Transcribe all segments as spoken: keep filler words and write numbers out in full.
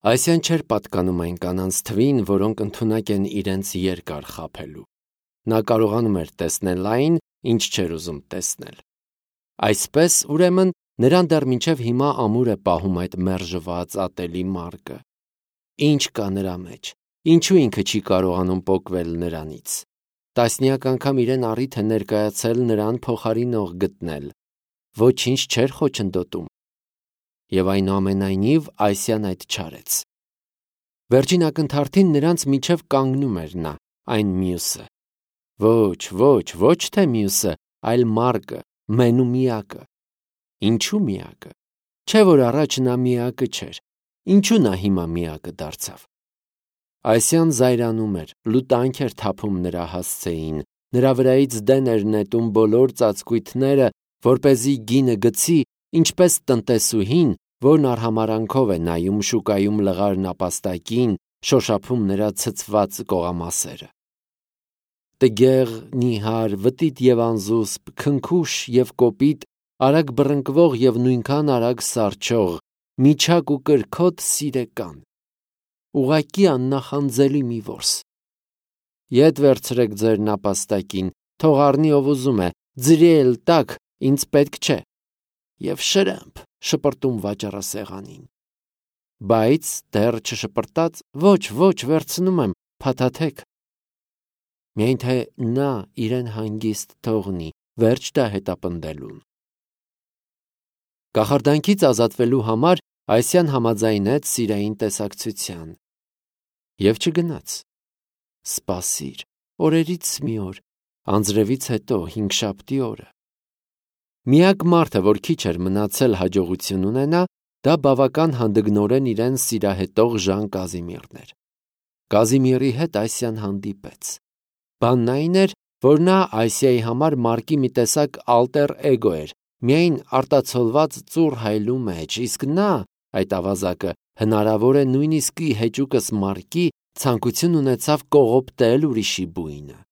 Այսյան չէր պատկանում այն կանանց թվին, որոնք ընդունակ են իրենց երկար խաբելու։ Նա կարողանում էր տեսնել այն, ինչ չէր ուզում տեսնել։ Այսպես, ուրեմն, նրան դեռ մինչև հիմա ամուր է պահում այդ մերժված ատելի մարգը։ Ինչ կա նրա մեջ, ինչու ինքը չի կարողանում պոկվել նրանից։ Տասնյակ անգամ իրեն առիթ է ներկայացել նրան փոխարինող գտնել, ոչինչ չէր խոչընդոտում։ Եվ այնուամենայնիվ Այսյան այդ չարեց։ Վերջին ակնթարթին նրանց միջև կանգնում էր նա, այն մյուսը։ Ոչ, ոչ, ոչ թե մյուսը, այլ մարգը, մենու միակը։ Ինչու միակը։ Չէ որ առաջ նա միակը չէր, ինչու նա հիմա միակը դարձավ։ Այսյան զայրանում էր, լուտանք էր թափում նրա հասցեին, նրա վրայից դեն էր նետում բոլոր ծածկույթները, որպեսզի գինը գցի, ինչպես տնտեսուհին, որն արհամարանքով է նայում շուկայում լղար նապաստակին, շոշափում նրա ցցված կողամասերը։ Տգեղ, նիհար, վտիտ և անզուսպ, քնքուշ և կոպիտ, արագ բռնկվող և նույնքան արագ սառչող, միջակ ու կրքոտ սիրեկան։ Ուղղակի աննախանձելի մի որս։ Ետ վերցրեք ձեր նապաստակին, թող առնի ով ուզում է, ձրի էլ տաք, ինձ պետք չէ։ Եվ շրըմփ շպրտում վաճառասեղանին։ Բայց դեռ չշպրտած, ոչ, ոչ, վերցնում եմ, փաթաթեք։ Միայն թե նա իրեն հանգիստ թողնի, վերջ տա հետապնդելուն։ Կախարդանքից ազատվելու համար Այսյան համաձայնեց սիրային տեսակցության։ Եվ չգնաց։ Սպասիր, օրերից մի օր, անձրևից հետո հինգշաբթի օրը։ Միակ մարդը, որ քիչ էր մնացել հաջողություն ունենա, դա բավական հանդգնորեն իրեն սիրահետող Ժան Կազիմիրն էր։ Կազիմիրի հետ Այսյան հանդիպեց։ Բանն այն էր, որ նա Այսիայի համար մարկի մի տեսակ ալտեր էգո էր, միայն արտացոլված ծուռ հայլու մեջ, իսկ նա, այդ ավազակը, հնարավոր է նույնիսկ ի հեճուկս մարկի ցանկություն ունեցավ կողոպտել ուրիշի բույնը։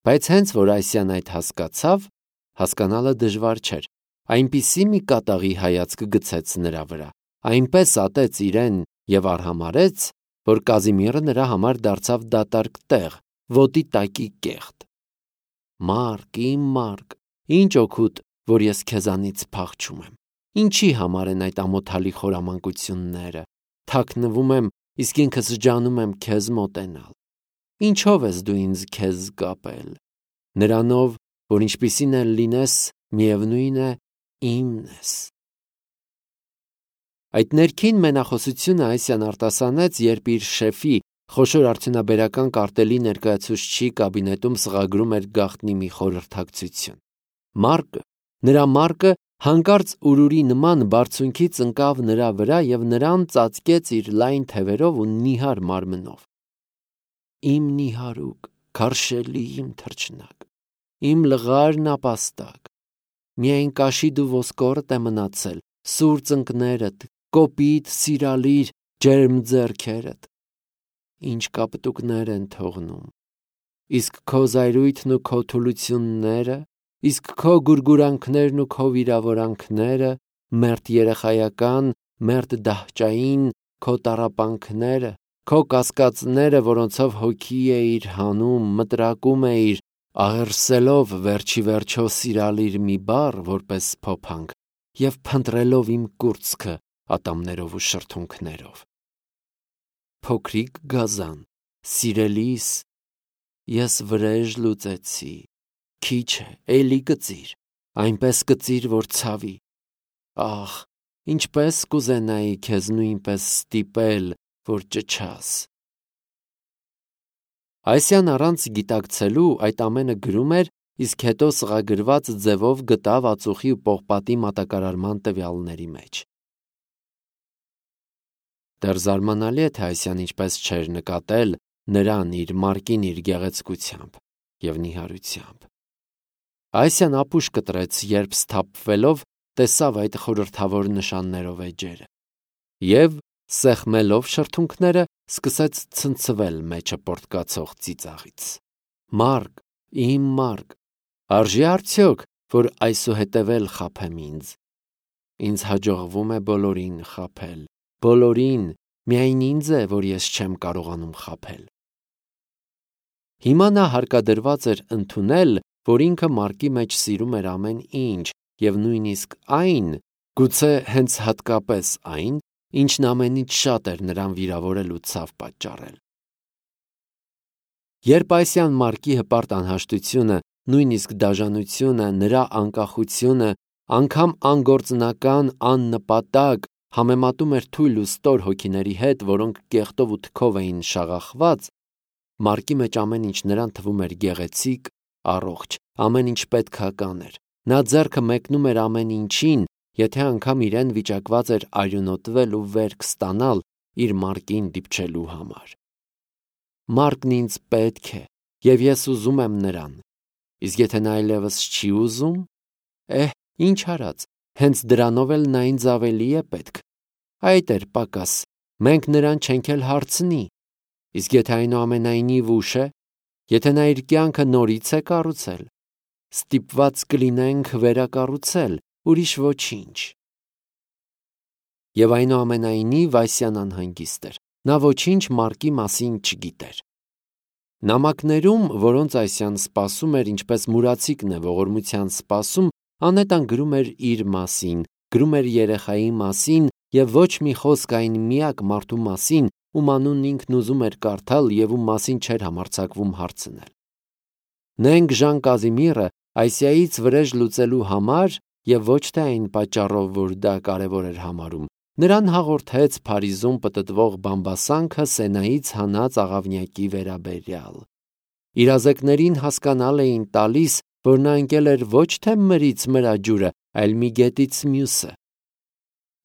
Բայց հենց որ Այսյան այդ հասկացավ, հասկանալը դժվար չէր, այնպիսի մի կատաղի հայացք գցեց նրա վրա, այնպես ատեց իրեն և արհամարեց, որ Կազիմիրը նրա համար դարձավ դատարկ տեղ, ոտի տակի կեղտ։ Մարկ, իմ մարկ, ինչ օգուտ, որ ես քեզանից փախչում եմ, ինչի համար են այդ ամոթալի խորամանկությունները, թաքնվում եմ, իսկ ինքս ջանում եմ քեզ մոտենալ։ Ինչով ես դու ինձ քեզ կապել։ Նրանով, որ ինչպիսին էլ լինես, միևնույն է, իմն ես։ Այդ ներքին մենախոսությունը Այսյան արտասանեց, երբ իր շեֆի խոշոր արդյունաբերական կարտելի ներկայացուցչի կաբինետում սղագրում էր գաղտնի մի խորհրդակցություն։ Մարկը, նրա մարկը հանկարծ ուրուրի նման բարձունքից ընկավ նրա վրա և նրան ծածկեց իր լայն թևերով ու նիհար մարմնով։ Իմ նիհարուկ, քարշելի իմ թռչնակ, իմ լղար նապաստակ, միայն կաշիդ ու ոսկորդ է մնացել, սուր ծնկներդ, կոպիտ, սիրալիր, ջերմ ձեռքերդ, ինչ կապտուկներ են թողնում, իսկ քո զայրույթն ու քո թուլությունները, իսկ քո գուրգուրանքներն ու քո վիրավորանքները, մերթ երեխայական, մերթ դահճային, քո տառապանքները, քո կասկածները, որոնցով հոգի էիր հանում, մտրակում էիր, աղերսելով վերջի վերջո սիրալիր մի բառ որպես փոփանք և փնտրելով իմ կուրծքը ատամներով ու շրթունքներով։ Փոքրիկ գազան, սիրելիս, ես վրեժ լուծեցի, քիչ է, էլի կծիր, այնպես կծիր, որ ցավի, ախ, ինչպես կուզենայի քեզ նույնպես ստիպել, որ ճչաս։ Այսյան առանց գիտակցելու այդ ամենը գրում էր, իսկ հետո սղագրված ձևով գտավ ածուխի ու պողպատի մատակարարման տվյալների մեջ։ Դեռ զարմանալի է, թե Այսյան ինչպես չէր նկատել նրան իր մարկին իր գեղեցկությամբ և նիհարությամբ։ Այսյան ապուշ կտրեց, երբ սթափվելով տեսավ այդ խորհրդավոր նշաններով էջերը և, սեղմելով շրթունքները, սկսեց ցնցվել մեջը պոռթկացող ծիծաղից։ Մարկ, իմ մարկ, արժի՞ արդյոք, որ այսուհետև էլ խաբեմ ինձ։ Ինձ հաջողվում է բոլորին խաբել, բոլորին, միայն ինձ է, որ ես չեմ կարողանում խաբել։ Հիմա նա հարկադրված էր ընդունել, որ ինքը Մարկի մեջ սիրում էր ամեն ինչ, և նույնիսկ այն, գուցե հենց հատկապես այն, ինչն ամենից շատ էր նրան վիրավորել ու ցավ պատճառել։ Երբ այսյան Մարկի հպարտ անհաշտությունը, նույնիսկ դաժանությունը, նրա անկախությունը, անգամ անգործնական, աննպատակ համեմատում էր թույլ ու ստոր հոգիների հետ, որոնք կեղտով ու թքով էին շաղախված, Մարկի մեջ ամեն ինչ նրան թվում էր գեղեցիկ, առողջ, ամեն ինչ պետքական էր։ Նա ձեռքը մեկնում էր ամեն ինչին, եթե անգամ իրեն վիճակված էր արյունոտվել ու վերք ստանալ իր Մարկին դիպչելու համար։ Մարկն ինձ պետք է, և ես ուզում եմ նրան։ Իսկ եթե նա այլևս չի ուզում, էհ, ինչ արած, հենց դրանով էլ նա ինձ ավելի է պետք։ Այդ էր պակաս, մենք նրան չենք էլ հարցնի։ Իսկ եթե այնուամենայնիվ ուշ է, եթե նա իր կյանքը նորից է կառուցել, ստիպված կլինենք վերակառուցել, ուրիշ ոչինչ։ Եվ այնուամենայնիվ Այսյան անհանգիստ էր, նա ոչինչ Մարկի մասին չգիտեր։ Նամակներում, որոնց Այսյան սպասում էր, ինչպես մուրացիկն է ողորմության սպասում, Անետան գրում էր իր մասին, գրում էր երեխայի մասին և ոչ մի խոսք այն միակ մարդու մասին, ում անունն ինքն ուզում էր կարդալ և ում մասին չէր համարձակվում հարցնել։ Նենք Ժան Կազիմիրը Այսիայից վրեժ լուծելու համար և ոչ թե այն պատճառով, որ դա կարևոր էր համարում, նրան հաղորդեց Փարիզում պտտվող բամբասանքը Սենայից հանած աղավնյակի վերաբերյալ։ Իրազեկներին հասկանալ էին տալիս, որ նա ընկել էր ոչ թե մրից մրա ջուրը, այլ մի գետից մյուսը։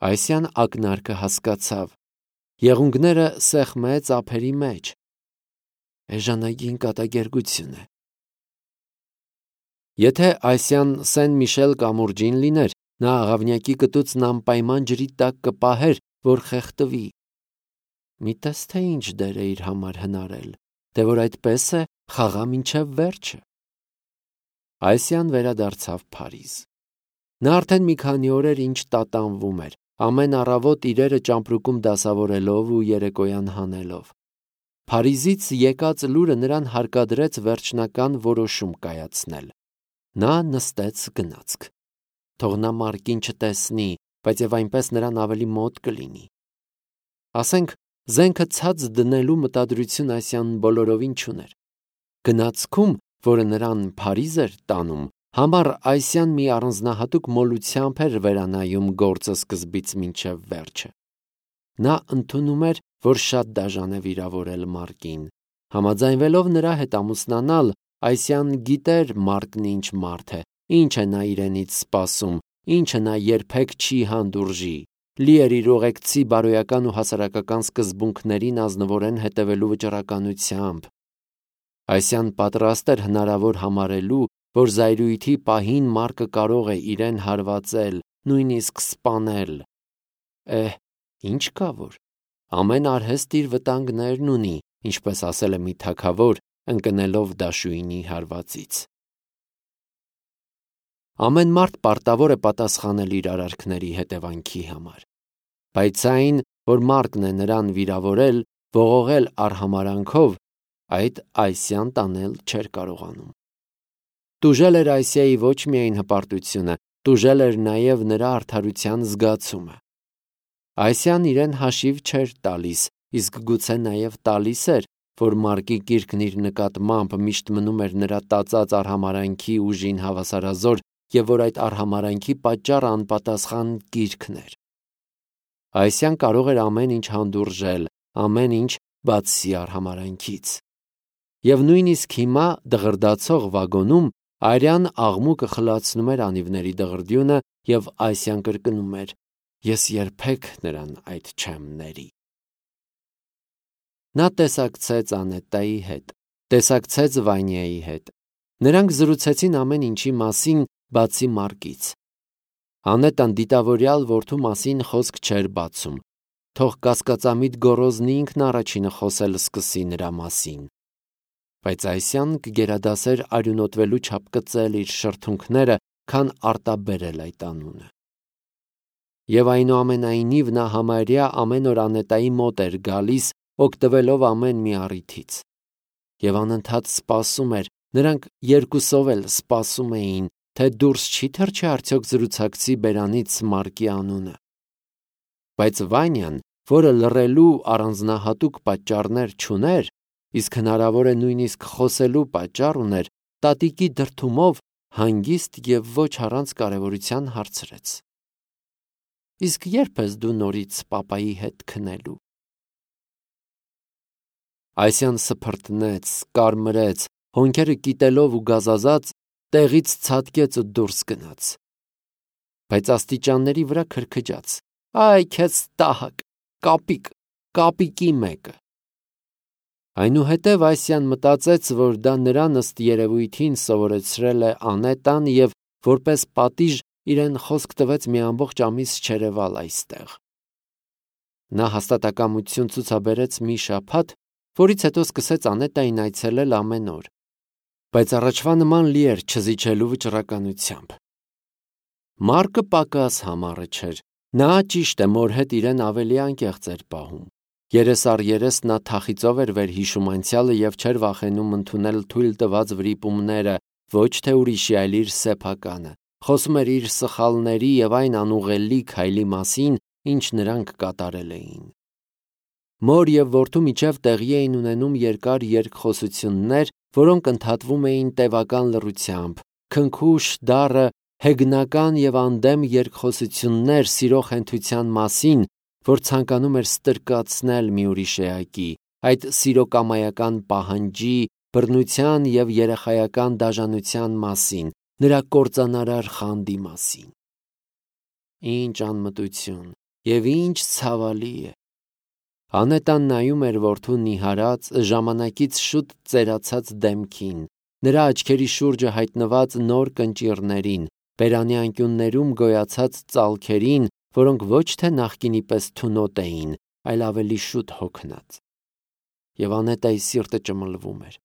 Այսյան ակնարկը հասկացավ, եղունգները սեղմեց ափերի մեջ։ Էժանագին կատակերգություն է։ Եթե Այսյան Սեն Միշել կամուրջին լիներ, նա աղավնյակի կտուցն անպայման ջրի տակ կպահեր, որ խեղդվի։ Մի տես թե ինչ դեր է իր համար հնարել, թե որ այդպես է խաղա մինչև վերջը։ Այսյան վերադարձավ Փարիզ։ Նա արդեն մի քանի օր էր ինչ տատանվում էր, ամեն առավոտ իրերը ճամպրուկում դասավորելով ու երեկոյան հանելով։ Փարիզից եկած լուրը նրան հարկադրեց վերջնական որոշում կայացնել։ Նա նստեց գնացք։ Թող նա Մարկին չտեսնի, բայց և այնպես նրան ավելի մոտ կլինի։ Ասենք, զենքը ցած դնելու մտադրություն Այսյան բոլորովին չուներ։ Գնացքում, որը նրան Փարիզ էր տանում, համար Այսյան մի առանձնահատուկ մոլությամբ էր վերանայում գործը սկզբից մինչև վերջը։ Նա ընդունում էր, որ շատ դաժան է վիրավորել Մարկին։ Համաձայնվելով նրա հետ ամուսնանալ, Այսյան գիտեր Մարկն ինչ մարդ է, ինչ է նա իրենից սպասում, ինչը նա երբեք չի հանդուրժի, լի էր իր ուղեկցի բարոյական ու հասարակական սկզբունքներին ազնվորեն հետևելու վճռականությամբ։ Այսյան պատրաստ էր հնարավոր համարելու, որ զայրույթի պահին Մարկը կարող է իրեն հարվածել, նույնիսկ սպանել։ Էհ, ինչ կա որ, ամեն արհեստ իր վտանգներն ունի, ինչպես ասել է մի թագավոր, ընկնելով դաշույնի հարվածից։ Ամեն մարդ պարտավոր է պատասխանել իր արարքների հետևանքի համար, բայց այն, որ Մարկն է նրան վիրավորել, ողողել արհամարանքով, այդ Այսյան տանել չէր կարողանում։ Տուժել էր Այսիայի ոչ միայն հպարտությունը, տուժել էր նաև նրա արդարության զգացումը։ Այսյան իրեն հաշիվ չէր տալիս, իսկ գուցե նաև տալիս էր, որ Մարկի կիրքն իր նկատմամբ միշտ մնում էր նրա տածած արհամարանքի ուժին հավասարազոր և որ այդ արհամարանքի պատճառը անպատասխան կիրքն էր։ Այսյան կարող էր ամեն ինչ հանդուրժել, ամեն ինչ բացի արհամարանքից։ Եվ նույնիսկ հիմա դղրդացող վագոնում արյան աղմուկը խլացնում էր անիվների դղրդյունը և Այսյան կրկնում էր. «Ես երբեք նրան այդ չեմ ների»։ Նա տեսակցեց Անետայի հետ, տեսակցեց Վանյայի հետ։ Նրանք զրուցեցին ամեն ինչի մասին, բացի Մարկից։ Անետան դիտավորյալ որդու մասին խոսք չէր բացում, թող կասկածամիտ գոռոզնի ինքն առաջինը խոսել սկսի նրա մասին։ Բայց Այսյան կգերադասեր արյունոտվելու չափ կծել իր շրթունքները, քան արտաբերել այդ անունը։ Եվ այնուամենայնիվ նա համարյա ամեն օր Անետայի մոտ էր գալիս, օգտվելով ամեն մի առիթից։ Եվ անընդհատ սպասում էր, նրանք երկուսով էլ սպասում էին, թե դուրս չի թռչի արդյոք զրուցակցի բերանից Մարկի անունը։ Բայց Վանյան, որը լռելու առանձնահատուկ պատճառներ չուներ, իսկ հնարավոր է նույնիսկ խոսելու պատճառ ուներ, տատիկի դրդումով հանգիստ և ոչ առանց կարևորության հարցրեց. Իսկ ե՞րբ ես դու նորից պապայի հետ քնելու։ Այսյան սփռտնեց, կարմրեց, հոնքերը կիտելով ու գազազած տեղից ցատկեց ու դուրս գնաց։ Բայց աստիճանների վրա քրքջաց. Այ քեզ տահակ, կապիկ, կապիկի մեկը։ Այնուհետև Այսյան մտածեց, որ դա նրան ըստ երևույթին սովորեցրել է Անետան և որպես պատիժ իրեն խոսք տվեց մի ամբողջ ամիս չերևալ այստեղ։ Նա հաստատակամություն ցուցաբերեց մի շաբաթ, որից հետո սկսեց Անետային այցելել ամեն օր, բայց առաջվա նման լի էր չզիջելու վճռականությամբ։ Մարկը պակաս համառը չէր, նա ճիշտ է մոր հետ իրեն ավելի անկեղծ էր պահում։ Երես առ երես նա թախիծով էր վերհիշում անցյալը և չէր վախենում ընդունել թույլ տված վրիպումները, ոչ թե ուրիշի, այլ իր սեփականը, խոսում էր իր սխալների և այն անուղղելի քայլի մասին, ինչ նրանք կատարել էին։ Մոր և որդու միջև տեղի էին ունենում երկար երկխոսություններ, որոնք ընդհատվում էին տևական լռությամբ, քնքուշ, դառը, հեգնական և անդեմ երկխոսություններ սիրո խենթության մասին, որ ցանկանում էր ստրկացնել մի ուրիշ էակի, այդ սիրոկամայական պահանջի, բռնության և երեխայական դաժանության մասին, նրա կործանարար խանդի մասին։ Ինչ անմտություն և ինչ ցավալի է։ Անետան նայում էր որդու նիհարած, ժամանակից շուտ ծերացած դեմքին, նրա աչքերի շուրջը հայտնված նոր կնճիռներին, բերանի անկյուններում գոյացած ծալքերին, որոնք ոչ թե նախկինի պես թունոտ էին, այլ ավելի շուտ հոգնած։ Եվ Անետայի սիրտը ճմլվում էր,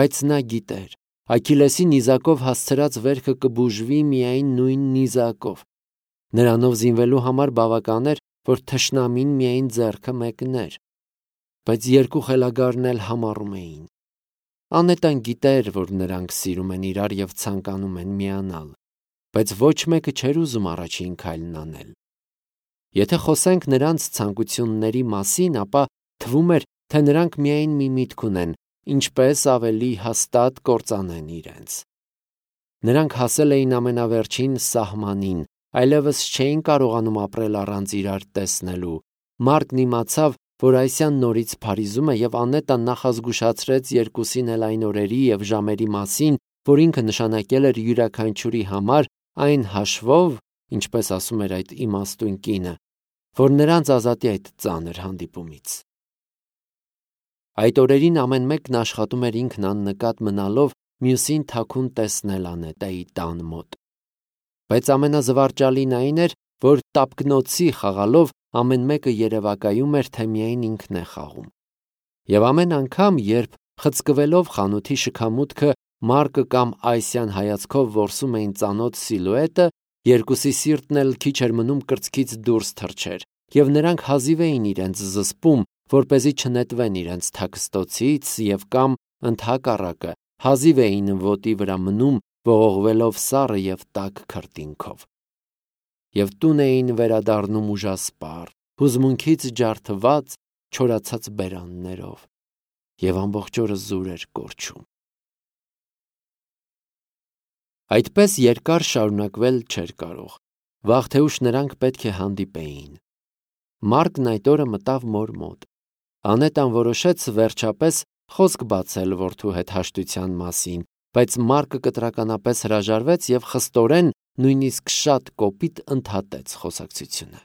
բայց նա գիտեր, Աքիլեսի նիզակով հասցրած վերքը կբուժվի միայն նույն նիզակով։ Նրանով զինվելու համար բավական էր, որ թշնամին միայն ձեռքը մեկներ, բայց երկու խելագարն էլ համառում էին։ Անետան գիտեր, որ նրանք սիրում են իրար և ցանկանում են միանալ, բայց ոչ մեկը չէր ուզում առաջին քայլն անել։ Եթե խոսենք նրանց ցանկությունների մասին, ապա թվում էր, թե նրանք միայն մի միտք ունեն, ինչպես ավելի հաստատ կործանեն իրենց։ Նրանք հասել էին ամենավերջին սահմանին, այլևս չէին կարողանում ապրել առանց իրար տեսնելու։ Մարկն իմացավ, որ Այսյան նորից փարիզում է, և Անետան նախազգուշացրեց երկուսին էլ այն օրերի և ժամերի մասին, որ ինքը նշանակել էր յուրաքանչյուրի համար, այն հաշվով, ինչպես ասում էր այդ իմաստուն կինը, որ նրանց ազատի այդ ծանր հանդիպումից։ Այդ օրերին ամեն մեկն աշխատում էր ինքն աննկատ մնալով մյուսին թաքուն տեսնել Անետայի տան մոտ։ Բայց ամենազվարճալին այն էր, որ տապկնոցի խաղալով ամեն մեկը երևակայում էր, թե միայն ինքն է խաղում։ Եվ ամեն անգամ, երբ խցկվելով խանութի շքամուտքը Մարկը կամ Այսյան հայացքով որսում էին ծանոթ սիլուետը, երկուսի սիրտն էլ քիչ էր մնում կրծքից դուրս թռչեր, և նրանք հազիվ էին իրենց զսպում, որպեսզի չնետվեն իրենց թաքստոցից և կամ ընդհակառակը հազիվ էին ոտի վրա մնում, ողողվելով սառը և տաք քրտինքով։ Եվ տուն էին վերադառնում ուժասպառ, հուզմունքից ջարդված, չորացած բերաններով, և ամբողջ օրը զուր էր կորչում։ Այդպես երկար շարունակվել չէր կարող, վաղ թե ուշ նրանք պետք է հանդիպեին։ Մարկն այդ օրը մտավ մոր մոտ։ Անետան որոշեց վերջապես խոսք բացել որդու հետ հաշտության մասին, բայց Մարկը կտրականապես հրաժարվեց և խստորեն, նույնիսկ շատ կոպիտ ընդհատեց խոսակցությունը։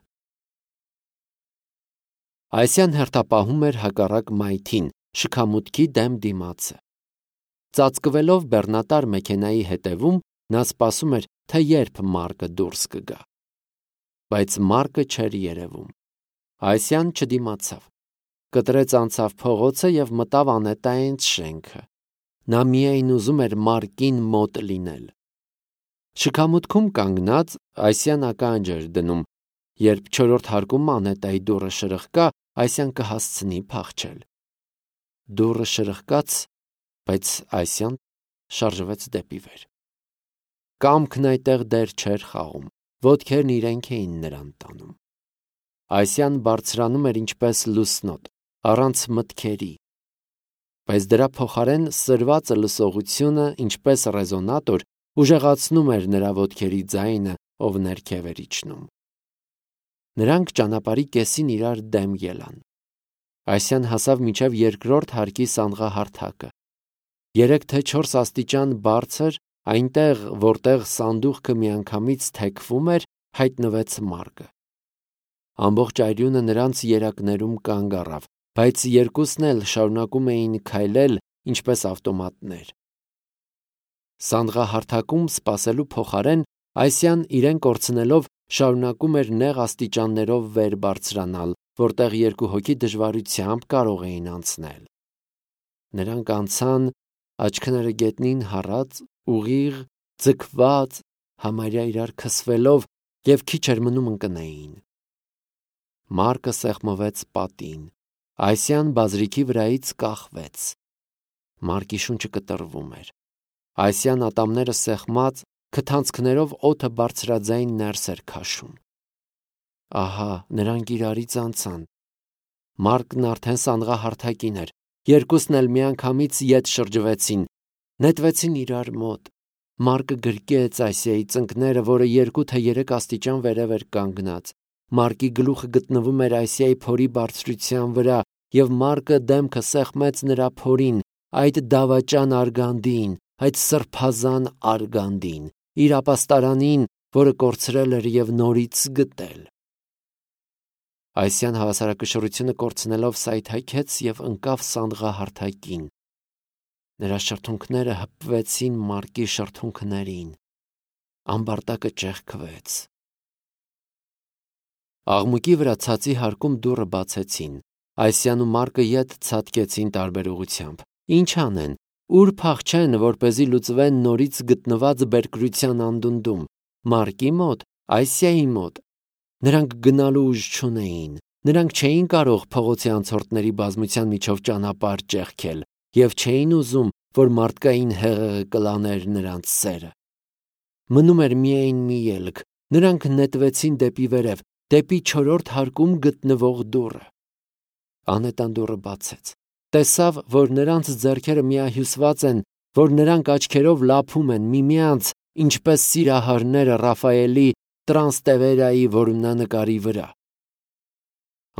Այսյան հերթապահում էր հակառակ մայթին, շքամուտքի դեմ դիմացը։ Ծածկվելով բեռնատար մեքենայի հետևում, նա սպասում էր, թե երբ Մարկը դուրս կգա։ Բայց Մարկը չէր երևում։ Այսյան չդիմացավ։ Կտրեց անցավ փողոցը և մտավ Անետայից շենքը։ Նա միայն ուզում էր Մարկին մոտ լինել։ Շքամուտքում կանգնած Այսյան ականջ էր դնում, Երբ չորրորդ հարկում Անետայի դուռը շրխկա, Այսյան կհասցնի փախչել։ Դուռը շրխկաց, բայց Այսյան շարժվեց դեպի վեր։ Կամքն այդտեղ դեռ չէր խաղում, ոտքերն իրենք էին նրան տանում։ Այսյան բարձրանում էր ինչպես լուսնոտ, առանց մտքերի, բայց դրա փոխարեն սրվածը լսողությունը, ինչպես ռեզոնատոր, ուժեղացնում էր նրա ոտքերի ձայնը, ով ներքև էր իջնում։ Նրանք ճանապարհի կեսին իրար դեմ ելան։ Այսյան հասավ մինչև երկրորդ հարկի սանդղահարթակը։ Երեք թե չորս աստիճան բարձր, այնտեղ, որտեղ սանդուղքը միանգամից թեքվում էր, հայտնվեց Մարկը։ Ամբողջ այրյունը նրանց երակներում կանգ առավ, բայց երկուսն էլ շարունակում էին քայլել, ինչպես ավտոմատներ։ Սանդղահարթակում սպասելու փոխարեն Այսյան իրեն կորցնելով շարունակում էր նեղ աստիճաններով վեր բարձրանալ, որտեղ երկու հոգի դժվարությամբ կարող էին անցնել։ Նրանք անցան, աչքները գետնին հառած, ուղիղ, ձգված, համարյա իրար քսվելով, և քիչ էր մնում ընկնեին։ Մարկը սեղմվեց պատին, Այսյան բազրիքի վրայից կախվեց։ Մարկի շունչը կտրվում էր։ Այսյան ատամները սեղմած, քթանցքներով օդը բարձրաձայն ներս էր քաշում։ Ահա, նրանք իրարից անցան։ Մարկն արդեն սանդղահարթակին էր, երկուսն էլ միանգամից ետ շրջվեցին, նետվեցին իրար մոտ։ Մարկը գրկեց Այսիայի ծնկները, որը երկու թե երեք աստիճան վերև էր կանգնած։ Մարկի գլուխը գտնվում էր Այսիայի փորի բարձրության վրա, և Մարկը դեմքը սեղմեց նրա փորին, այդ դավաճան արգանդին, այդ սրբազան արգանդին, իր ապաստարանին, որը կորցրել էր և նորից գտել։ Այսյան հավասարակշռությունը կորցնելով սայթաքեց և ընկավ սանդղահարթակին։ Նրա շրթունքները հպվեցին Մարկի շրթունքներին։ Ամբարտակը ճեղքվեց։ Աղմուկի վրա ցածի հարկում դուռը բացեցին։ Այսյան ու Մարկը ետ ցատկեցին տարբեր ուղղությամբ։ Ինչ անեն, ուր փախչեն, որպեսզի լուծվեն նորից գտնված բերկրության անդունդում։ Մարկի մոտ, Այսիայի մոտ։ Նրանք գնալու ուժ չունեին։ Նրանք չէին կարող փողոցի անցորդների բազմության միջով ճանապարհ ճեղքել և չէին ուզում, որ մարդկային հեղեղը կլաներ նրանց սերը։ Մնում էր միայն մի ելք։ Նրանք նետվեցին դեպի վերև, դեպի չորրորդ հարկում գտնվող դուռը։ Անետան դուռը բացեց։ Տեսավ, որ նրանց ձեռքերը միահյուսված են, որ նրանք աչքերով լափում են միմյանց, ինչպես սիրահարները Ռաֆայելի Տրանստևերայի որմնանկարի վրա։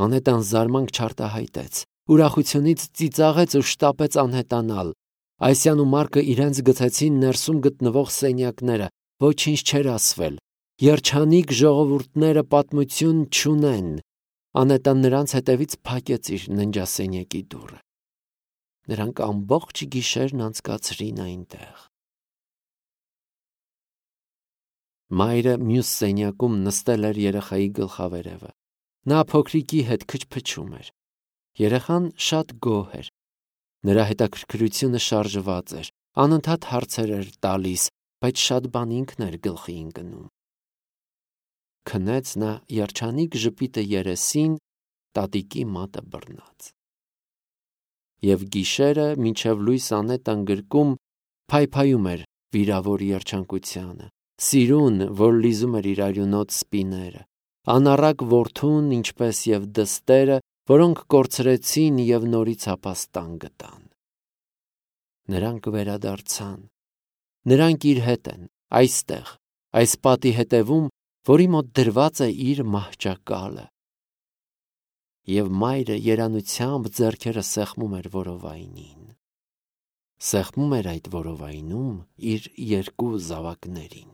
Անետան զարմանք չարտահայտեց, ուրախությունից ծիծաղեց ու շտապեց անհետանալ։ Այսյան ու Մարկը իրենց գցեցին ներսում գտնվող սենյակները, ոչինչ չէր ասվել։ Երջանիկ ժողովուրդները պատմություն չունեն։ Անետան նրանց հետևից փակեց իր ննջասենյակի դուռը։ Նրանք ամբողջ գիշերն անցկացրին այնտեղ։ Մայրը մյուս սենյակում նստել էր երեխայի գլխավերևը։ Նա փոքրիկի հետ քչփչում էր։ Երեխան շատ գոհ էր։ Նրա հետաքրքրությունը շարժված էր, անընդհատ հարցեր էր տալիս, բայց շատ բան ինքն էր գլխի ընկնում։ Քնեց նա երջանիկ ժպիտը երեսին, տատիկի մատը բռնած։ Եվ գիշերը, մինչև լույս Անետան գրկում, փայփայում էր վիրավոր երջանկությանը, սիրուն, որ լիզում էր իր արյունոտ սպիները, անառակ որդուն, ինչպես և դստերը, որոնք կորցրեցին և նորից ապաստան գտան։ Նրանք վերադարձան։ Նրանք իր հետ են, այստեղ, այս պատի հետևում, որի մոտ դրված է իր մահճակալը։ Եվ մայրը երանությամբ ձեռքերը սեղմում էր որովայնին։ Սեղմում էր այդ որովայնում իր երկու զավակներին։